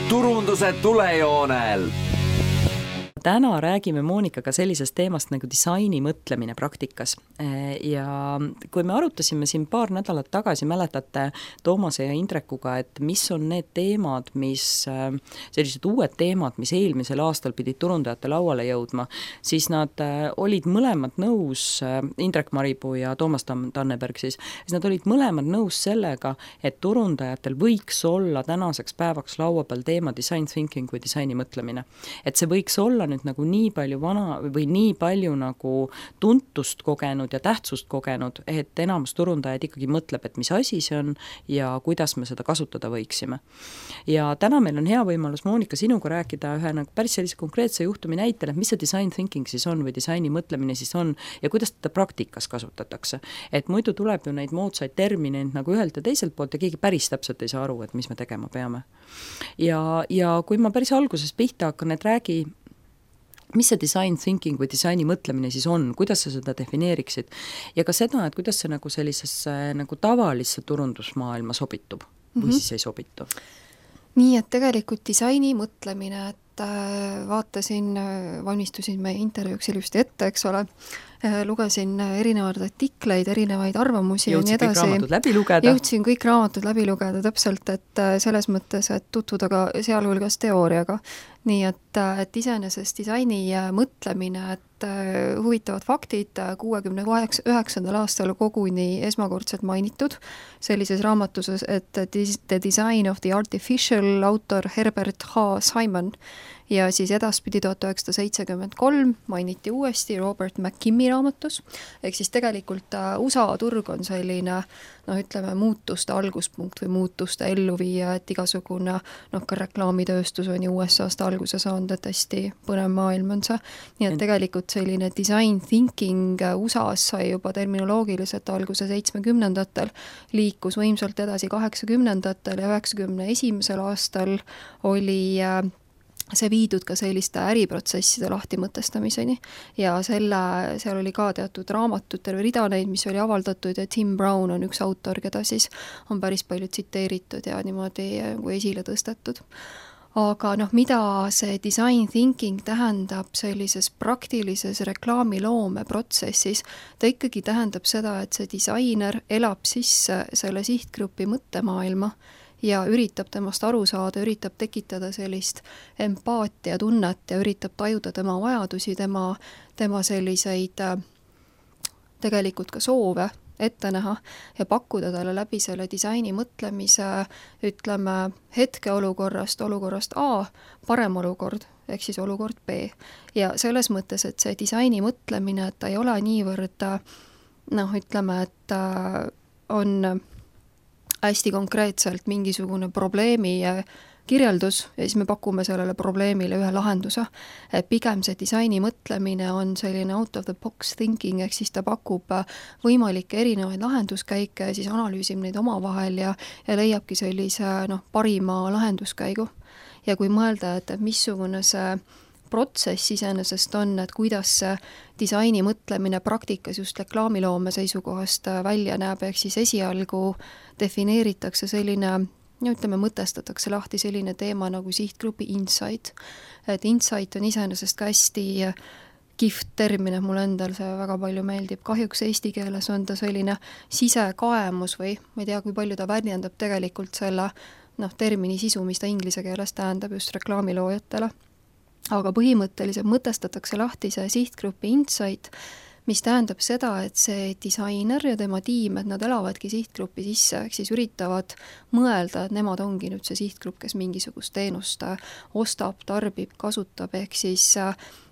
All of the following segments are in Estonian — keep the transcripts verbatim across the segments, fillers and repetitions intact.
turunduse tulejoonel. Täna räägime Moonikaga sellisest teemast nagu disaini mõtlemine praktikas. Ja kui me arutasime siin paar nädalat tagasi, mäletate Toomase ja Indrekuga, et mis on need teemad, mis, sellised uued teemad, mis eelmisel aastal pidid turundajate lauale jõudma, siis nad olid mõlemad nõus, Indrek Maripuu ja Toomas Tanneberg siis, siis nad olid mõlemad nõus sellega, et turundajatel võiks olla tänaseks päevaks laua peal teema design thinking või disaini mõtlemine. Et see võiks olla nüüd nagu nii palju vana või nii palju nagu tuntust kogenud ja tähtsust kogenud, et enamus turundajaid ikkagi mõtleb, et mis asi see on ja kuidas me seda kasutada võiksime. Ja täna meil on hea võimalus, Moonika, sinuga rääkida ühe nagu päris sellise konkreetse juhtumi näitel, et mis see design thinking siis on või disaini mõtlemine siis on ja kuidas teda praktikas kasutatakse. Et muidu tuleb ju neid moodsaid termineid nagu ühelt ja teiselt poolt ja keegi päris täpselt ei saa aru, et mis me tegema peame. Ja, ja kui ma päris alguses pihta hakkan, et räägi mis see design thinking või disaini mõtlemine siis on, kuidas sa seda defineeriksid ja ka seda, et kuidas see nagu sellisesse nagu tavalisse turundusmaailma sobitub või mm-hmm. siis ei sobitu. Nii, et tegelikult disaini mõtlemine, et vaatasin, valmistusin meie intervjuuks ilusti ette, eks ole, lugesin erinevaid artikleid, erinevaid arvamusi jõudsin ja nii edasi. kõik raamatud läbi lugeda. Jõudsin kõik raamatud läbi lugeda täpselt, et selles mõttes, et tutvuda ka sealhulgas teooriaga. Nii et, et iseenesest disaini mõtlemine, et huvitavad faktid kuuekümne üheksandal aastal koguni esmakordselt mainitud sellises raamatuses, et The Design of the Artificial autor Herbert H. Simon ja siis edaspidi tuhat üheksasada seitsekümmend kolm mainiti uuesti Robert McKimmi raamatus, ehk siis tegelikult U S A turg on selline, noh ütleme, muutuste alguspunkt või muutuste elluviija, et igasugune, noh ka reklaamitööstus on ju U S A-st alguse saanud, et hästi põnev maailm on see. Nii et tegelikult selline design thinking U S A-s sai juba terminoloogiliselt alguse seitsmekümnendatel, liikus võimsalt edasi kaheksakümnendatel ja üheksakümne esimesel aastal oli see viidud ka selliste äriprotsesside lahtimõtestamiseni ja selle, seal oli ka teatud raamatud, terve rida neid, mis oli avaldatud ja Tim Brown on üks autor, keda siis on päris palju tsiteeritud ja niimoodi kui esile tõstetud. Aga noh, mida see design thinking tähendab sellises praktilises reklaamiloome protsessis, ta ikkagi tähendab seda, et see disainer elab sisse selle sihtgrupi mõttemaailma ja üritab temast aru saada, üritab tekitada sellist empaatia tunnet ja üritab tajuda tema vajadusi, tema, tema selliseid tegelikult ka soove ette näha ja pakkuda talle läbi selle disaini mõtlemise, ütleme, hetkeolukorrast, olukorrast A, parem olukord, ehk siis olukord B. Ja selles mõttes, et see disaini mõtlemine, et ta ei ole niivõrd, noh, ütleme, et on hästi konkreetselt mingisugune probleemi kirjeldus ja siis me pakume sellele probleemile ühe lahenduse. Pigem see disaini mõtlemine on selline out of the box thinking, ehk siis ta pakub võimalikke erinevaid lahenduskäike ja siis analüüsib neid omavahel ja, ja leiabki sellise noh, parima lahenduskäigu. Ja kui mõelda, et missugune see protsess iseenesest on, et kuidas see disaini mõtlemine praktikas just reklaamiloome seisukohast välja näeb, ehk siis esialgu defineeritakse selline, no ütleme, mõtestatakse lahti selline teema nagu sihtgrupi insight. Et insight on iseenesest ka hästi kihvt termin, et mul endal see väga palju meeldib. Kahjuks eesti keeles on ta selline sisekaemus või ma ei tea, kui palju ta väljendab tegelikult selle noh, termini sisu, mis ta inglise keeles tähendab just reklaamiloojatele. Aga põhimõtteliselt mõtestatakse lahti see sihtgrupi insight, mis tähendab seda, et see disainer ja tema tiim, et nad elavadki sihtgrupi sisse, ehk siis üritavad mõelda, et nemad ongi nüüd see sihtgrupp, kes mingisugust teenust ostab, tarbib, kasutab, ehk siis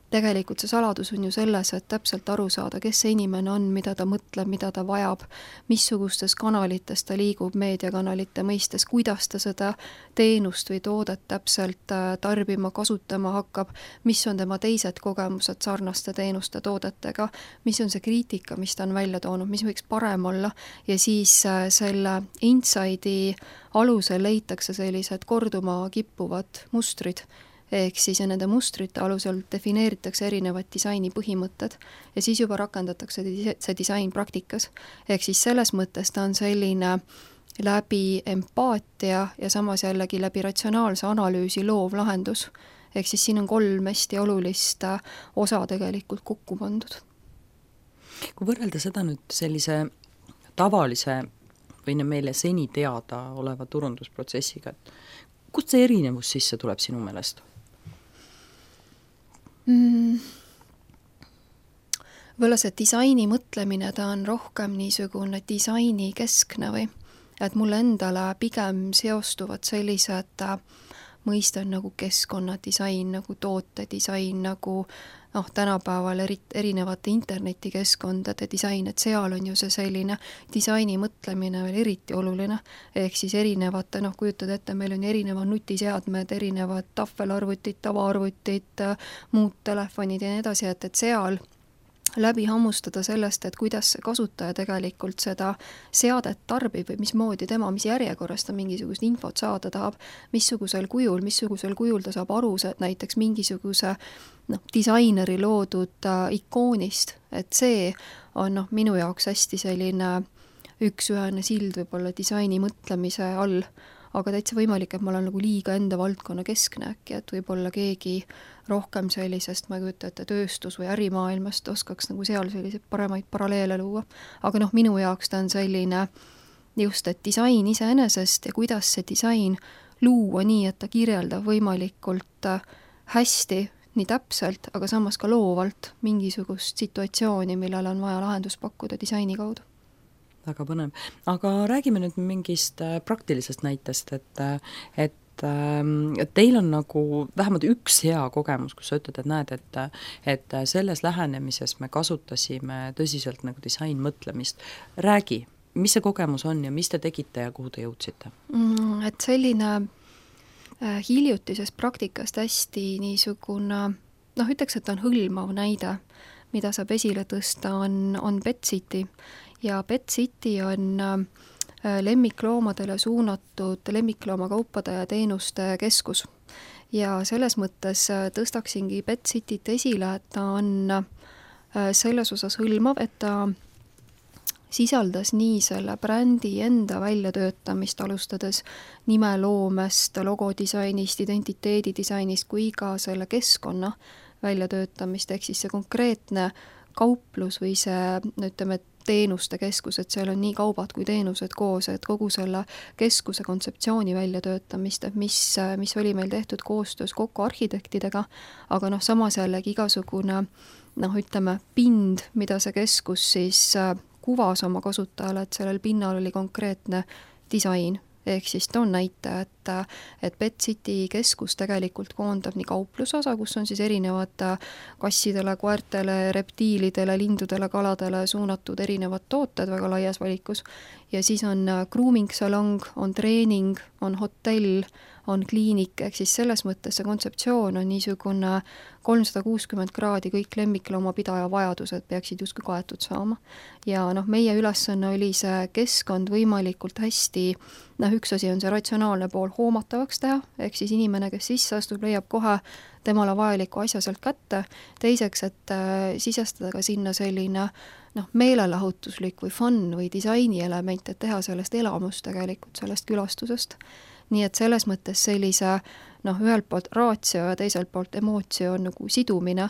tegelikult see saladus on ju selles, et täpselt aru saada, kes see inimene on, mida ta mõtleb, mida ta vajab, missugustes kanalites ta liigub meediakanalite mõistes, kuidas ta seda teenust või toodet täpselt tarbima, kasutama hakkab, mis on tema teised kogemused sarnaste teenuste toodetega, mis on see kriitika, mis ta on välja toonud, mis võiks parem olla ja siis selle inside'i alusel leitakse sellised korduma kippuvad mustrid, ehk siis ja nende mustrite alusel defineeritakse erinevad disaini põhimõtted ja siis juba rakendatakse see disain praktikas. Ehk siis selles mõttes ta on selline läbi empaatia ja samas jällegi läbi ratsionaalse analüüsi loov lahendus. Ehk siis siin on kolm hästi olulist osa tegelikult kokku pandud. Kui võrrelda seda nüüd sellise tavalise või meile seni teada oleva turundusprotsessiga, et kust see erinevus sisse tuleb sinu meelest? Mm. Võlla see disaini mõtlemine, ta on rohkem niisugune disaini keskne või, et mulle endale pigem seostuvad sellised mõisted nagu keskkonnadisain, nagu tootedisain, nagu noh, tänapäeval eri, erinevate internetikeskkondade disain, et seal on ju see selline disaini mõtlemine veel eriti oluline, ehk siis erinevate, noh, kujutad ette, meil on erinevad nutiseadmed, erinevad tahvelarvutid, tavaarvutid, muud telefonid ja nii edasi, et, et seal läbi hammustada sellest, et kuidas see kasutaja tegelikult seda seadet tarbib või mismoodi tema, mis järjekorras ta mingisugust infot saada tahab, missugusel kujul, missugusel kujul ta saab aru, et näiteks mingisuguse noh, disaineri loodud äh, ikoonist, et see on noh, minu jaoks hästi selline üks-ühene sild võib-olla disaini mõtlemise all, aga täitsa võimalik, et ma olen nagu liiga enda valdkonna keskne äkki, et võib-olla keegi rohkem sellisest, ma ei kujuta ette, tööstus- või ärimaailmast oskaks nagu seal selliseid paremaid paralleele luua. Aga noh, minu jaoks ta on selline just, et disain iseenesest ja kuidas see disain luua nii, et ta kirjeldab võimalikult hästi, nii täpselt, aga samas ka loovalt mingisugust situatsiooni, millele on vaja lahendust pakkuda disaini kaudu. Väga põnev. Aga räägime nüüd mingist praktilisest näitest, et, et et teil on nagu vähemalt üks hea kogemus, kus sa ütled, et näed, et, et selles lähenemises me kasutasime tõsiselt nagu disain mõtlemist. Räägi, mis see kogemus on ja mis te tegite ja kuhu te jõudsite? Mm, et selline äh, hiljutisest praktikast hästi niisugune, noh, ütleks, et on hõlmav näide, mida saab esile tõsta, on, on Pet City. Ja Pet City on äh, lemmikloomadele suunatud lemmikloomakaupada ja teenuste keskus. Ja selles mõttes tõstaksingi Pet Cityt esile, et ta on selles osas hõlmav, et ta sisaldas nii selle brändi enda väljatöötamist, alustades nimeloomest, logodisainist, identiteedidisainist kui ka selle keskkonna väljatöötamist, ehk siis see konkreetne kauplus või see, ütleme, teenuste keskus, et seal on nii kaubad kui teenused koos, et kogu selle keskuse kontseptsiooni väljatöötamist, et mis, mis oli meil tehtud koostöös kokku arhitektidega, aga noh, samas jällegi igasugune, noh, ütleme, pind, mida see keskus siis kuvas oma kasutajale, et sellel pinnal oli konkreetne disain. Ehk siis toon näite, et, et Pet City keskus tegelikult koondab nii kauplusosa, kus on siis erinevad kassidele, koertele, reptiilidele, lindudele, kaladele suunatud erinevad tooted väga laias valikus. Ja siis on grooming salong, on treening, on hotell, on kliinik, ehk siis selles mõttes see kontseptsioon on niisugune kolmsada kuuskümmend kraadi kõik lemmikloomapidaja vajadused peaksid justkui kaetud saama. Ja noh, meie ülesanne oli see keskkond võimalikult hästi, noh, üks asi on see ratsionaalne pool hoomatavaks teha, ehk siis inimene, kes sisse astub, leiab kohe temale vajaliku asja sealt kätte, teiseks, et äh, sisestada ka sinna selline noh, meelelahutuslik või fun või disaini element, et teha sellest elamust tegelikult, sellest külastusest. Nii et selles mõttes sellise, noh, ühelt poolt raatsio ja teiselt poolt emootio on nagu sidumine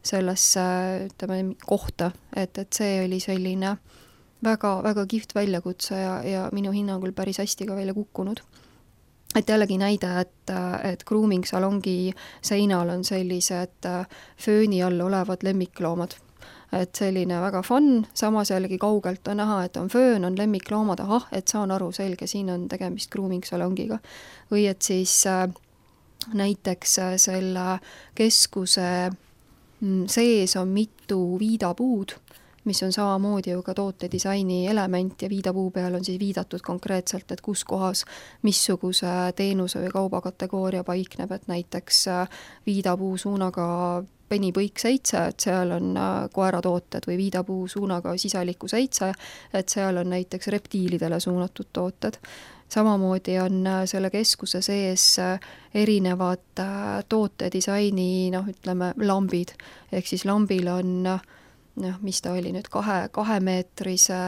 sellesse, ütleme, kohta, et, et see oli selline väga, väga kihvt väljakutse ja, ja minu hinnangul päris hästi ka välja kukkunud. Et jällegi näide, et, et grooming salongi seinal on sellised fööni all olevad lemmikloomad. Et selline väga fun, samas jällegi kaugelt on näha, et on föön, on lemmikloomad, ahah, et saan aru, selge, siin on tegemist grooming salongiga. Või et siis äh, näiteks selle keskuse sees on mitu viidapuud, mis on samamoodi ju ka tootedisaini element ja viidapuu peal on siis viidatud konkreetselt, et kus kohas missuguse teenuse või kaubakategooria paikneb, et näiteks viidapuu suunaga penipõik seitse, et seal on koeratooted või viidapuu suunaga sisaliku seitse, et seal on näiteks reptiilidele suunatud tooted. Samamoodi on selle keskuse sees erinevad tootedisaini, noh, ütleme, lambid, ehk siis lambil on noh, mis ta oli nüüd, kahe, kahemeetrise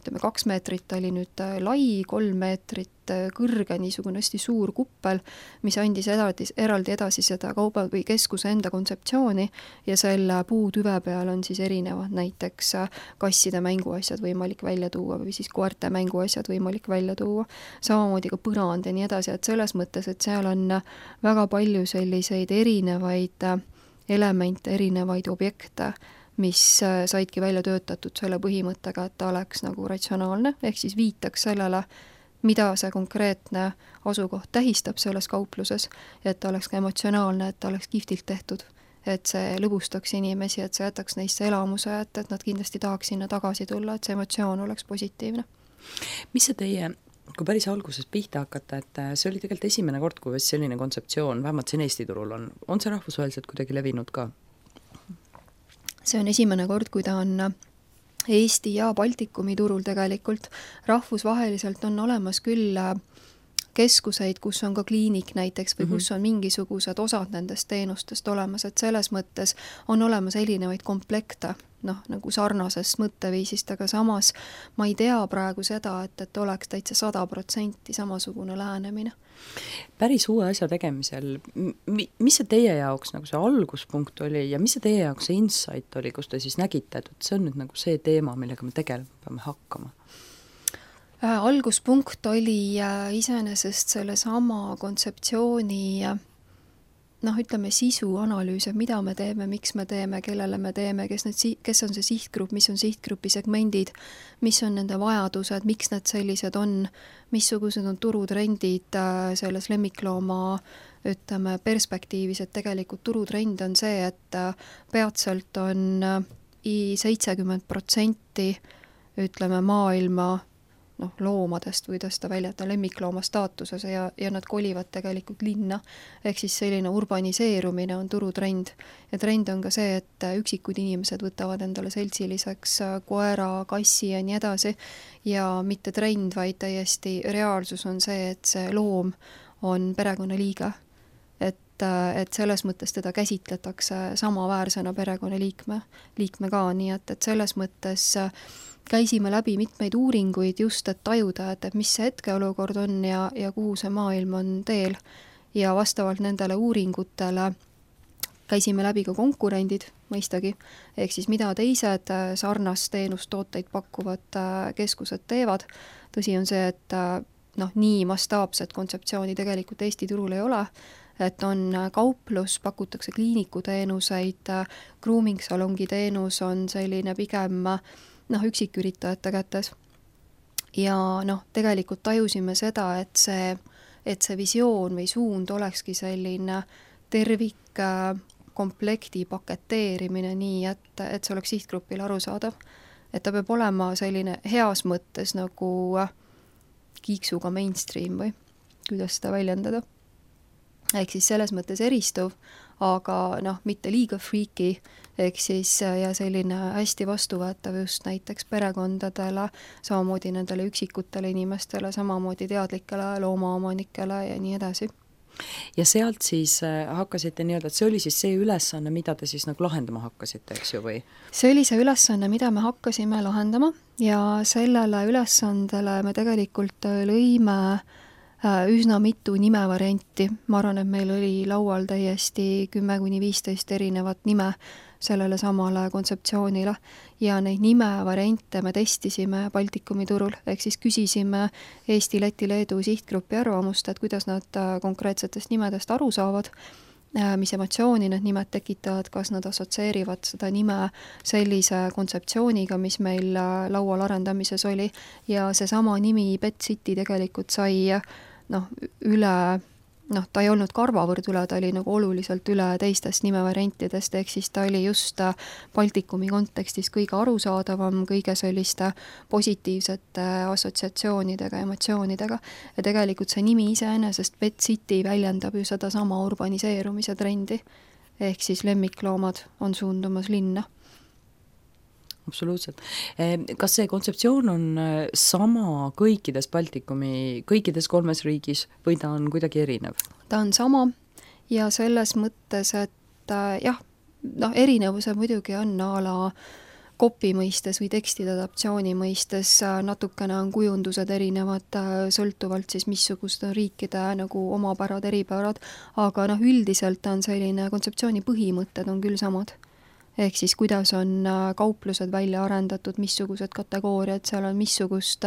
ütleme, kaks meetrit oli nüüd lai, kolm meetrit kõrge, niisugune hästi suur kuppel, mis andis eraldi, eraldi edasi seda kauba või keskuse enda kontseptsiooni ja selle puutüve peal on siis erinevad näiteks kasside mänguasjad võimalik välja tuua või siis koerte mänguasjad võimalik välja tuua, samamoodi ka põrand ja nii edasi, et selles mõttes, et seal on väga palju selliseid erinevaid elemente, erinevaid objekte, mis saidki välja töötatud selle põhimõttega, et ta oleks nagu ratsionaalne, ehk siis viitaks sellele, mida see konkreetne asukoht tähistab selles kaupluses, et ta oleks ka emotsionaalne, et ta oleks kihvtilt tehtud, et see lõbustaks inimesi, et see jätaks neisse elamuse, et, et nad kindlasti tahaks sinna tagasi tulla, et see emotsioon oleks positiivne. Mis see teie, kui päris alguses pihta hakata, et see oli tegelikult esimene kord, kui selline kontseptsioon, vähemalt siin Eesti turul on, on see rahvusvaheliselt kuidagi levinud ka? See on esimene kord, kui ta on Eesti ja Baltikumi turul tegelikult. Rahvusvaheliselt on olemas küll keskuseid, kus on ka kliinik näiteks või kus on mingisugused osad nendest teenustest olemas, et selles mõttes on olemas erinevaid komplekte, noh, nagu sarnasest mõtteviisist, aga samas ma ei tea praegu seda, et, et oleks täitsa sada protsenti samasugune lähenemine. Päris uue asja tegemisel, mis see teie jaoks nagu see alguspunkt oli ja mis see teie jaoks see insight oli, kus te siis nägite, et see on nüüd nagu see teema, millega me tegelikult peame hakkama? Äh, alguspunkt oli äh, iseenesest selle sama kontseptsiooni äh, noh, ütleme sisu analüüs, mida me teeme, miks me teeme, kellele me teeme, kes, need, kes on see sihtgrupp, mis on sihtgrupi segmendid, mis on nende vajadused, miks need sellised on, missugused on turutrendid selles lemmiklooma ütleme, perspektiivis, et tegelikult turutrend on see, et peatselt on seitsekümmend protsenti ütleme maailma noh, loomadest või tõsta välja, et on lemmiklooma staatuses ja, ja nad kolivad tegelikult linna, ehk siis selline urbaniseerumine on turutrend. Ja trend on ka see, et üksikud inimesed võtavad endale seltsiliseks koera, kassi ja nii edasi ja mitte trend, vaid täiesti reaalsus on see, et see loom on perekonnaliige. Et, et selles mõttes teda käsitletakse samaväärsena perekonnaliikme liikme ka, nii et, et selles mõttes käisime läbi mitmeid uuringuid just, et tajuda, et, et mis see hetkeolukord on ja, ja kuhu see maailm on teel. Ja vastavalt nendele uuringutele käisime läbi ka konkurendid, mõistagi, ehk siis mida teised sarnast teenustooteid pakkuvad keskused teevad. Tõsi on see, et noh, nii mastaapset kontseptsiooni tegelikult Eesti turul ei ole, et on kauplus, pakutakse kliinikuteenuseid, grooming-salongi teenus on selline pigem noh, üksiküritajate kätes. Ja noh, tegelikult tajusime seda, et see, et see visioon või suund olekski selline tervik komplekti paketeerimine nii, et, et see oleks sihtgrupile arusaadav. Et ta peab olema selline heas mõttes nagu kiiksuga mainstream või kuidas seda väljendada. Ehk siis selles mõttes eristuv, aga noh, mitte liiga freaky, ehk siis ja selline hästi vastuvõetav just näiteks perekondadele, samamoodi nendele üksikutele inimestele, samamoodi teadlikele loomaomanikele ja nii edasi. Ja sealt siis hakkasite nii-öelda, et see oli siis see ülesanne, mida te siis nagu lahendama hakkasite, eks ju, või? See oli see ülesanne, mida me hakkasime lahendama ja sellele ülesandele me tegelikult lõime üsna mitu nimevarianti. Ma arvan, et meil oli laual täiesti kümme kuni viisteist erinevat nime sellele samale kontseptsioonile ja neid nimevariante me testisime Baltikumi turul, ehk siis küsisime Eesti, Läti, Leedu sihtgrupi arvamust, et kuidas nad konkreetsetest nimedest aru saavad, mis emotsiooni need nimed tekitavad, kas nad assotsieerivad seda nime sellise kontseptsiooniga, mis meil laual arendamises oli ja seesama nimi Pet City tegelikult sai noh, üle, noh, ta ei olnud karvavõrd üle, ta oli nagu oluliselt üle teistest nimevariantidest, ehk siis ta oli just Baltikumi kontekstis kõige arusaadavam, kõige selliste positiivsete assotsiatsioonidega, emotsioonidega. Ja tegelikult see nimi iseenesest Pet City väljendab ju seda sama urbaniseerumise trendi, ehk siis lemmikloomad on suundumas linna. Absoluutselt. Kas see kontseptsioon on sama kõikides Baltikumi, kõikides kolmes riigis või ta on kuidagi erinev? Ta on sama ja selles mõttes, et jah, noh, erinevuse muidugi on ala kopi mõistes või tekstide adaptatsiooni mõistes, natukene on kujundused erinevad, sõltuvalt siis missugused on riikide nagu omapärad, eripärad, aga noh, üldiselt on selline kontseptsiooni põhimõtted on küll samad. Ehk siis kuidas on kauplused välja arendatud, missugused kategooriad, seal on missugust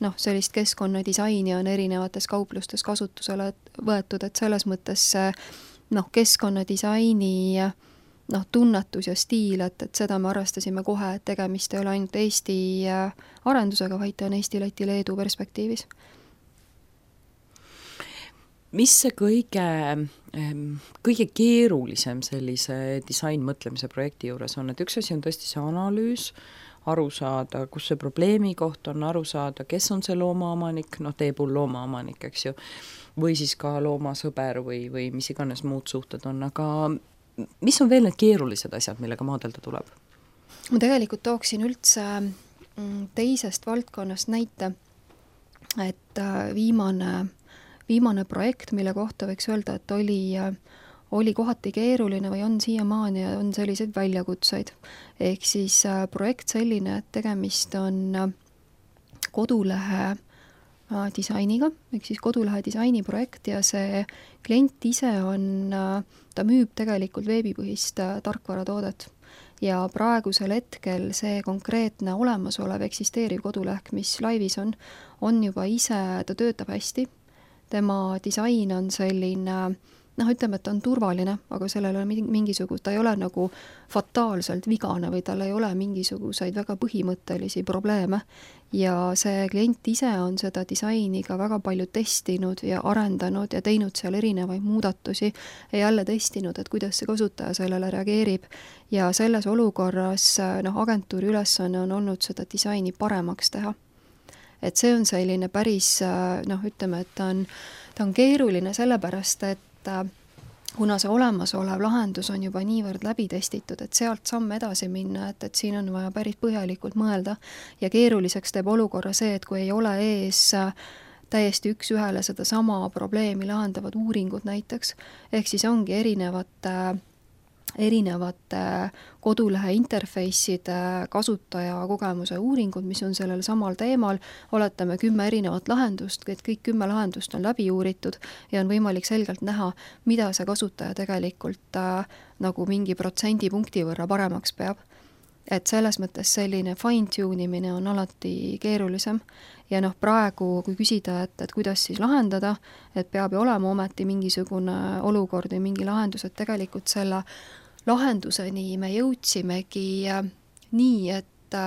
noh, sellist keskkonnadisaini on erinevates kauplustes kasutusele võetud, et selles mõttes noh, keskkonnadisaini noh, tunnetus ja stiil, et, et seda me arvestasime kohe, et tegemist ei ole ainult Eesti arendusega, vaid ta on Eesti, Läti, Leedu perspektiivis. Mis see kõige, kõige keerulisem sellise disainmõtlemise projekti juures on, et üks asi on tõesti see analüüs, aru saada, kus see probleemi koht on, aru saada, kes on see loomaomanik, noh, teie puhul loomaomanik, eks ju, või siis ka loomasõber või, või mis iganes muud suhted on, aga mis on veel need keerulised asjad, millega maadelda tuleb? Ma tegelikult tooksin üldse teisest valdkonnast näite, et viimane, viimane projekt, mille kohta võiks öelda, et oli, oli kohati keeruline või on siiamaani ja on selliseid väljakutseid. Ehk siis projekt selline, et tegemist on kodulehe disainiga, ehk siis kodulehe disainiprojekt ja see klient ise on, ta müüb tegelikult veebipõhist tarkvaratoodet ja praegusel hetkel see konkreetne olemasolev eksisteeriv koduleht, mis laivis on, on juba ise, ta töötab hästi, tema disain on selline noh, ütleme, et ta on turvaline, aga sellel on mingisugust, ta ei ole nagu fataalselt vigane või tal ei ole mingisuguseid väga põhimõttelisi probleeme ja see klient ise on seda disaini ka väga palju testinud ja arendanud ja teinud seal erinevaid muudatusi ja jälle testinud, et kuidas see kasutaja sellele reageerib ja selles olukorras noh, agentuuri ülesanne on olnud seda disaini paremaks teha. Et see on selline päris noh, ütleme, et ta on, ta on keeruline sellepärast, et kuna see olemasolev lahendus on juba niivõrd läbi testitud, et sealt samm edasi minna, et, et siin on vaja päris põhjalikult mõelda ja keeruliseks teeb olukorra see, et kui ei ole ees täiesti üks ühele seda sama probleemi lahendavad uuringud näiteks, ehk siis ongi erinevate erinevate kodulehe interface'ide kasutaja kogemuse uuringud, mis on sellel samal teemal, oletame kümme erinevat lahendust, et kõik kümme lahendust on läbi uuritud ja on võimalik selgelt näha, mida see kasutaja tegelikult äh, nagu mingi protsendipunkti võrra paremaks peab. Et selles mõttes selline fine-tune imine on alati keerulisem ja noh, praegu kui küsida, et, et kuidas siis lahendada, et peab ju olema ometi mingisugune olukord või mingi lahendus, et tegelikult selle lahenduseni me jõudsimegi nii, et,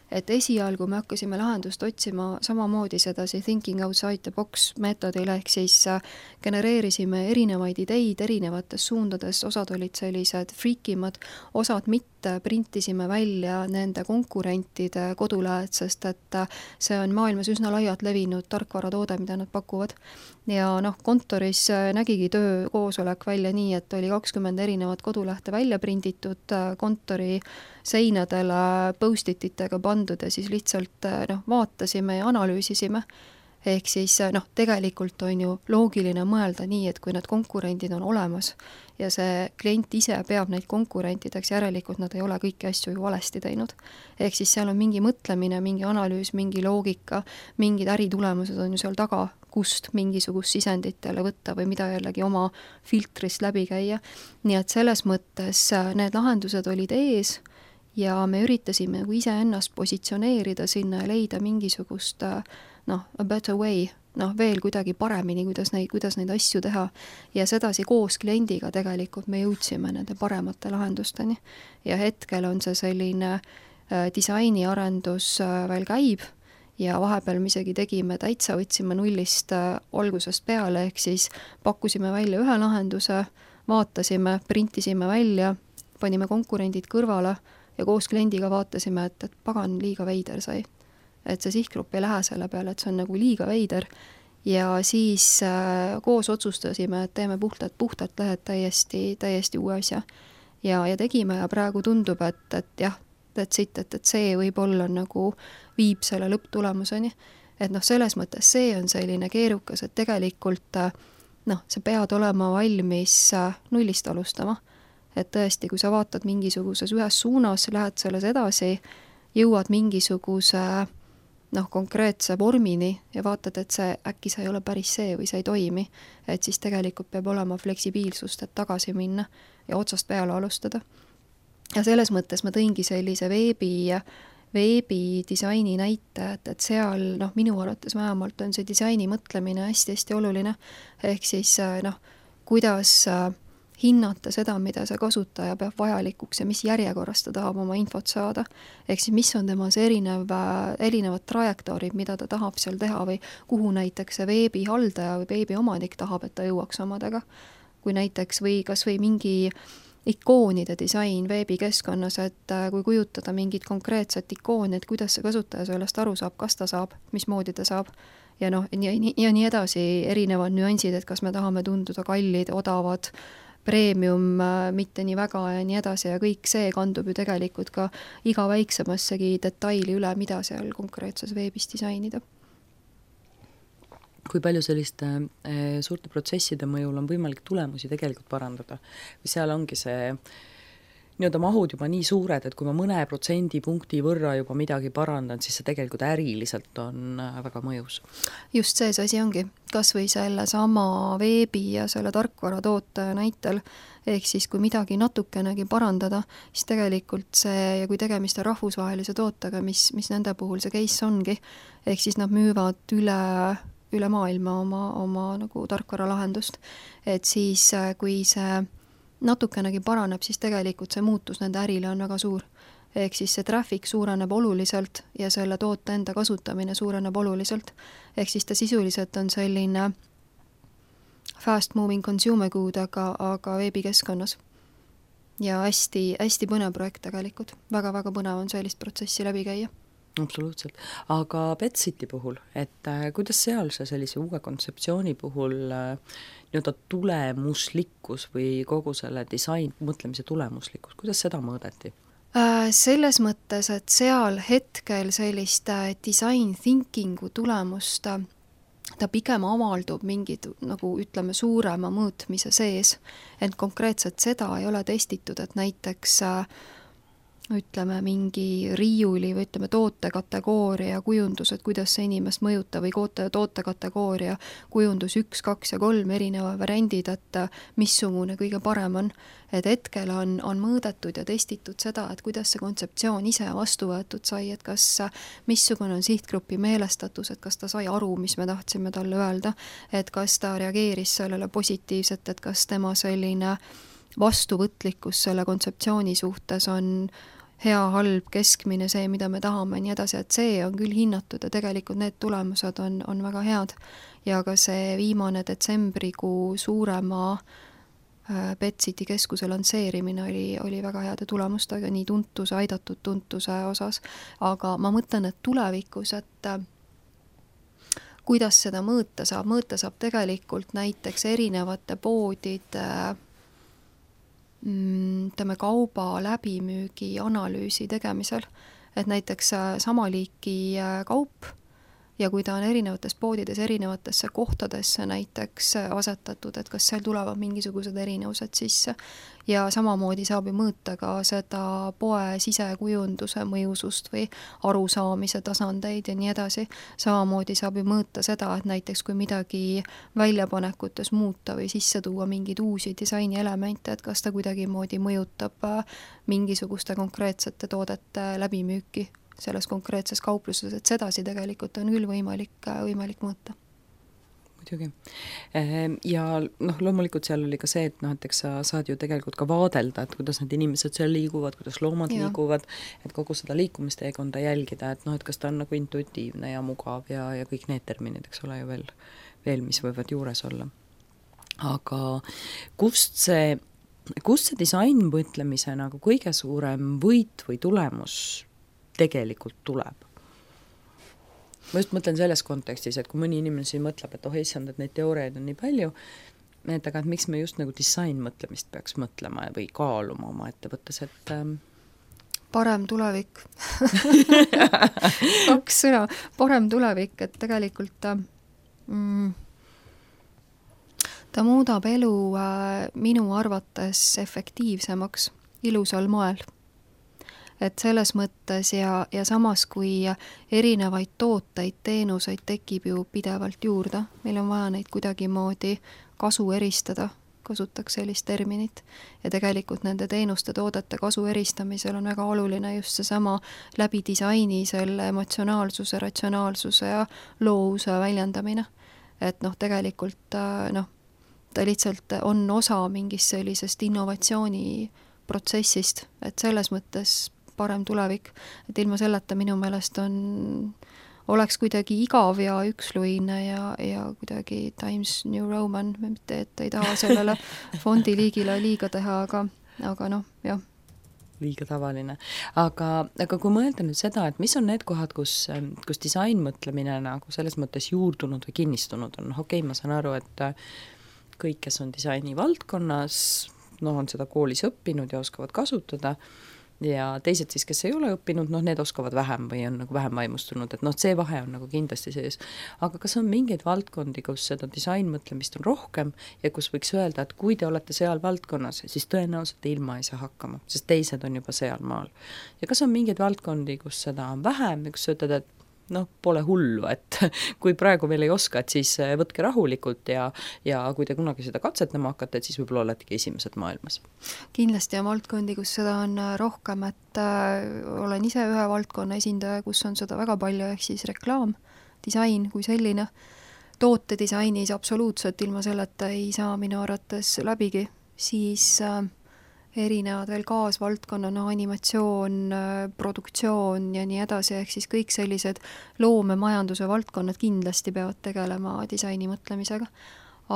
et esialgu me hakkasime lahendust otsima samamoodi sedasi thinking outside the box meetodil, ehk siis genereerisime erinevaid ideid erinevates suundades, osad olid sellised friikimad, osad mitte, printisime välja nende konkurentide kodulehed, sest et see on maailmas üsna laialt levinud tarkvaratoode, mida nad pakuvad. Ja noh, kontoris nägigi töö koosolek välja nii, et oli kakskümmend erinevat kodulehte välja prinditud, kontori seinadele post-ititega pandud ja siis lihtsalt noh, vaatasime ja analüüsisime. Ehk siis noh, tegelikult on ju loogiline mõelda nii, et kui need konkurendid on olemas ja see klient ise peab neid konkurentideks, järelikult nad ei ole kõiki asju ju valesti teinud. Ehk siis seal on mingi mõtlemine, mingi analüüs, mingi loogika, mingid äritulemused on ju seal taga, kust mingisugust sisenditele võtta või mida jällegi oma filtrist läbi käia. Nii et selles mõttes need lahendused olid ees ja me üritasime ise ennast positsioneerida sinna ja leida mingisugust noh, a better way, noh, veel kuidagi paremini, kuidas neid, kuidas neid asju teha. Ja sedasi koos kliendiga tegelikult me jõudsime nende paremate lahendusteni. Ja hetkel on see selline äh, disainiarendus äh, veel käib ja vahepeal me isegi tegime täitsa, võtsime nullist äh, algusest peale, ehk siis pakkusime välja ühe lahenduse, vaatasime, printisime välja, panime konkurendid kõrvale ja koos kliendiga vaatasime, et, et pagan liiga veider sai. Et see sihtgrupp ei lähe selle peale, et see on nagu liiga veider ja siis äh, koos otsustasime, et teeme puhtalt, puhtalt lehed täiesti, täiesti uue asja ja, ja tegime ja praegu tundub, et, et jah, et, siit, et, et see võib-olla nagu viib selle lõpptulemuseni, et noh, selles mõttes see on selline keerukas, et tegelikult noh, sa pead olema valmis nullist alustama et tõesti, kui sa vaatad mingisuguses ühes suunas, lähed selles edasi, jõuad mingisuguse noh, konkreetse vormini ja vaatad, et see äkki see ei ole päris see või see ei toimi, et siis tegelikult peab olema fleksibiilsust, et tagasi minna ja otsast peale alustada. Ja selles mõttes ma tõingi sellise veebi, veebidisaini näite, et, et seal noh, minu arvates vähemalt on see disaini mõtlemine hästi-hästi oluline, ehk siis noh, kuidas hinnata seda, mida see kasutaja peab vajalikuks ja mis järjekorras ta tahab oma infot saada. Ehk siis mis on tema see erinev, erinevad trajektoorid, mida ta tahab seal teha või kuhu näiteks see veebihaldaja või veebiomanik tahab, et ta jõuaks omadega. Kui näiteks või kas või mingi ikoonide disain veebikeskkonnas, et kui kujutada mingit konkreetset ikooni, et kuidas see kasutaja sellest aru saab, kas ta saab, mismoodi ta saab ja noh, ja, ja nii edasi erinevad nüansid, et kas me tahame tunduda kallid, odavad, premium, mitte nii väga ja nii edasi ja kõik see kandub ju tegelikult ka iga väiksemassegi detaili üle, mida seal konkreetses veebis disainida. Kui palju selliste äh, suurte protsesside mõjul on võimalik tulemusi tegelikult parandada? Või seal ongi see nii-öelda mahud juba nii suured, et kui ma mõne protsendipunkti võrra juba midagi parandan, siis see tegelikult äriliselt on väga mõjus. Just see, see asi ongi. Kas või selle sama veebi ja selle tarkvara toote näitel, ehk siis kui midagi natukenegi parandada, siis tegelikult see, ja kui tegemist on rahvusvahelise tootega, mis, mis nende puhul see case ongi, ehk siis nad müüvad üle üle maailma oma, oma nagu tarkvara lahendust, et siis kui see natukenegi paraneb, siis tegelikult see muutus nende ärile on väga suur. Ehk siis see traffic suureneb oluliselt ja selle toote enda kasutamine suureneb oluliselt. Ehk siis ta sisuliselt on selline fast moving consumer good, aga, aga veebikeskkonnas. Ja hästi, hästi põnev projekt tegelikult. Väga-väga põnev on sellist protsessi läbi käia. Absoluutselt. Aga Betsiti puhul, et äh, kuidas seal see sellise uue kontseptsiooni puhul äh, nii-öelda tulemuslikkus või kogu selle disain mõtlemise tulemuslikkus, kuidas seda mõõdeti? Äh, selles mõttes, et seal hetkel sellist äh, design thinkingu tulemust äh, ta pigem avaldub mingid, nagu ütleme, suurema mõõtmise sees, et konkreetselt seda ei ole testitud, et näiteks äh, ütleme mingi riiuli või ütleme tootekategooria kujundus, et kuidas see inimest mõjutab või tootekategooria kujundus üks, kaks ja kolm erineva variandid, et missugune kõige parem on. Et hetkel on, on mõõdetud ja testitud seda, et kuidas see kontseptsioon ise vastu võetud sai, et kas missugune on sihtgrupi meelestatus, et kas ta sai aru, mis me tahtsime talle öelda, et kas ta reageeris sellele positiivselt, et kas tema selline vastuvõtlikkus selle kontseptsiooni suhtes on hea, halb, keskmine, see, mida me tahame, nii edasi, et see on küll hinnatud ja tegelikult need tulemused on, on väga head. Ja ka see viimane detsembrikuu suurema äh, Betsiti keskuse lansseerimine oli, oli väga heade tulemustega, nii tuntuse, aidatud tuntuse osas, aga ma mõtlen, et tulevikus, et äh, kuidas seda mõõta saab, mõõta saab tegelikult näiteks erinevate poodide äh, ütleme kauba läbimüügi analüüsi tegemisel, et näiteks sama liiki kaup ja kui ta on erinevates poodides erinevatesse kohtadesse näiteks asetatud, et kas seal tulevad mingisugused erinevused sisse ja samamoodi saab ju mõõta ka seda poe sisekujunduse mõjusust või arusaamise tasandeid ja nii edasi. Samamoodi saab ju mõõta seda, et näiteks kui midagi väljapanekutes muuta või sisse tuua mingeid uusi disaini elemente, et kas ta kuidagi moodi mõjutab mingisuguste konkreetsete toodete läbimüüki selles konkreetses kaupluses, et sedasi tegelikult on küll võimalik, võimalik mõõta. Muidugi. Ja noh, loomulikult seal oli ka see, et noh, et eks sa saad ju tegelikult ka vaadelda, et kuidas need inimesed seal liiguvad, kuidas loomad ja. liiguvad, et kogu seda liikumisteekonda jälgida, et noh, et kas ta on nagu intuitiivne ja mugav ja, ja kõik need terminid, eks ole ju veel, veel, mis võivad juures olla. Aga kust see, kust see disain mõtlemise nagu kõige suurem võit või tulemus tegelikult tuleb? Ma just mõtlen selles kontekstis, et kui mõni inimene siin mõtleb, et oh issand, et neid teooriaid on nii palju, et aga et miks me just nagu disain mõtlemist peaks mõtlema või kaaluma oma ettevõttes, et ähm... parem tulevik. Kaks sõna, parem tulevik, et tegelikult mm, ta muudab elu minu arvates efektiivsemaks ilusal moel. Et selles mõttes ja, ja samas, kui erinevaid tooteid, teenuseid tekib ju pidevalt juurde, meil on vaja neid kuidagimoodi kasu eristada, kasutaks sellist terminit, ja tegelikult nende teenuste toodete kasu eristamisel on väga oluline just seesama läbi disaini selle emotsionaalsuse, ratsionaalsuse ja loovuse väljendamine. Et noh, tegelikult noh, ta lihtsalt on osa mingist sellisest innovatsiooni protsessist, et selles mõttes parem tulevik, et ilma selleta minu meelest on, oleks kuidagi igav ja üksluine ja, ja kuidagi Times New Roman, mitte et ei taha sellele fondiliigile liiga teha, aga, aga noh, jah. Liiga tavaline. Aga, aga kui mõelda nüüd seda, et mis on need kohad, kus, kus disainmõtlemine nagu selles mõttes juurdunud või kinnistunud on, okei, ma saan aru, et kõik, kes on disaini valdkonnas, noh, on seda koolis õppinud ja oskavad kasutada, ja teised siis, kes ei ole õppinud, noh, need oskavad vähem või on nagu vähem vaimustunud, et noh, see vahe on nagu kindlasti sees. Aga kas on mingeid valdkondi, kus seda disainmõtlemist on rohkem ja kus võiks öelda, et kui te olete seal valdkonnas, siis tõenäoliselt ilma ei saa hakkama, sest teised on juba seal maal. Ja kas on mingeid valdkondi, kus seda on vähem ja kus ütled, et noh, pole hullu, et kui praegu veel ei oska, et siis võtke rahulikult ja, ja kui te kunagi seda katsetama hakkate, et siis võib-olla oletegi esimesed maailmas. Kindlasti on valdkondi, kus seda on rohkem, et äh, olen ise ühe valdkonna esindaja, kus on seda väga palju, ehk siis reklaam, disain kui selline. Tootedisainis absoluutselt ilma selleta ei saa minu arvates läbigi, siis äh, erinevad veel kaasvaldkonna, no animatsioon, produktsioon ja nii edasi, ehk siis kõik sellised loomemajanduse valdkonnad kindlasti peavad tegelema disaini mõtlemisega.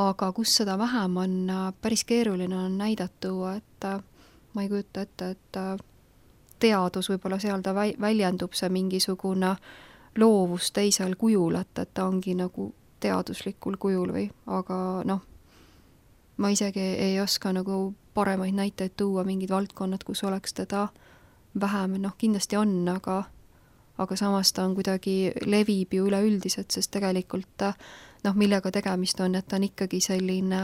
Aga kus seda vähem on, päris keeruline on näidatu, et ma ei kujuta ette, et teadus võib-olla seal ta väljendub see mingisugune loovus teisel kujul, et, et ta ongi nagu teaduslikul kujul või, aga noh, ma isegi ei oska nagu paremaid näiteid tuua mingid valdkonnad, kus oleks teda vähem, noh kindlasti on, aga, aga samas ta on kuidagi levib ju üleüldiselt, sest tegelikult noh, millega tegemist on, et ta on ikkagi selline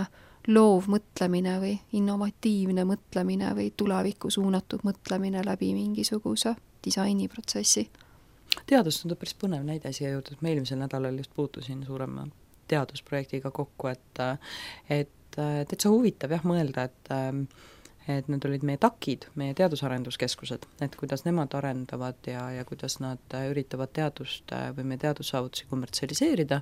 loov mõtlemine või innovatiivne mõtlemine või tulevikku suunatud mõtlemine läbi mingisuguse disainiprotsessi. Teadus on päris põnev näide siia jõudnud, ma eelmisel nädalal just puutusin suurema teadusprojektiga kokku, et, et täitsa huvitav jah mõelda, et, et need olid meie takid, meie teadusarenduskeskused, et kuidas nemad arendavad ja, ja kuidas nad üritavad teadust või meie teadussaavutusi kommertsialiseerida.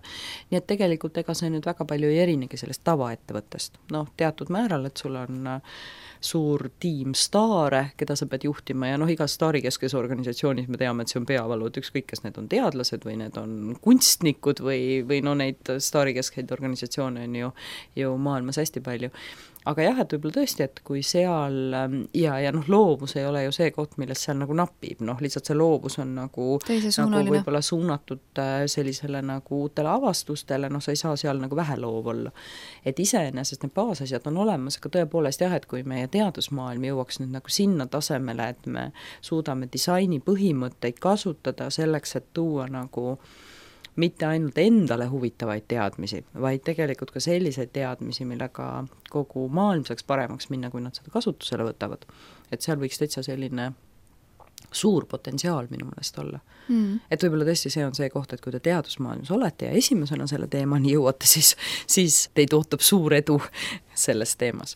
Nii et tegelikult ega see nüüd väga palju ei erinegi sellest tavaettevõttest. Noh, teatud määral, et sul on suur tiim staare, keda sa pead juhtima ja noh, igas staarikeskes organisatsioonis me teame, et see on peavalud, ükskõik, kas need on teadlased või need on kunstnikud või, või no neid staarikeskeid organisatsioone on ju, ju maailmas hästi palju. Aga jah, et võib-olla tõesti, et kui seal ja, ja noh, loovus ei ole ju see koht, millest seal nagu napib, noh, lihtsalt see loovus on nagu, nagu võib-olla suunatud sellisele nagu uutele avastustele, noh, sa ei saa seal nagu vähe loov olla. Et iseenesest need baasasjad on olemas, aga tõepoolest jah, et kui meie teadusmaailm jõuaks nüüd nagu sinna tasemele, et me suudame disaini põhimõtteid kasutada selleks, et tuua nagu mitte ainult endale huvitavaid teadmisi, vaid tegelikult ka selliseid teadmisi, millega kogu maailm saaks paremaks minna, kui nad seda kasutusele võtavad. Et seal võiks täitsa selline suur potentsiaal minu meelest olla. Mm. Et võib-olla tõesti see on see koht, et kui te teadusmaailmas olete ja esimesena selle teemani jõuate, siis, siis teid ootab suur edu selles teemas.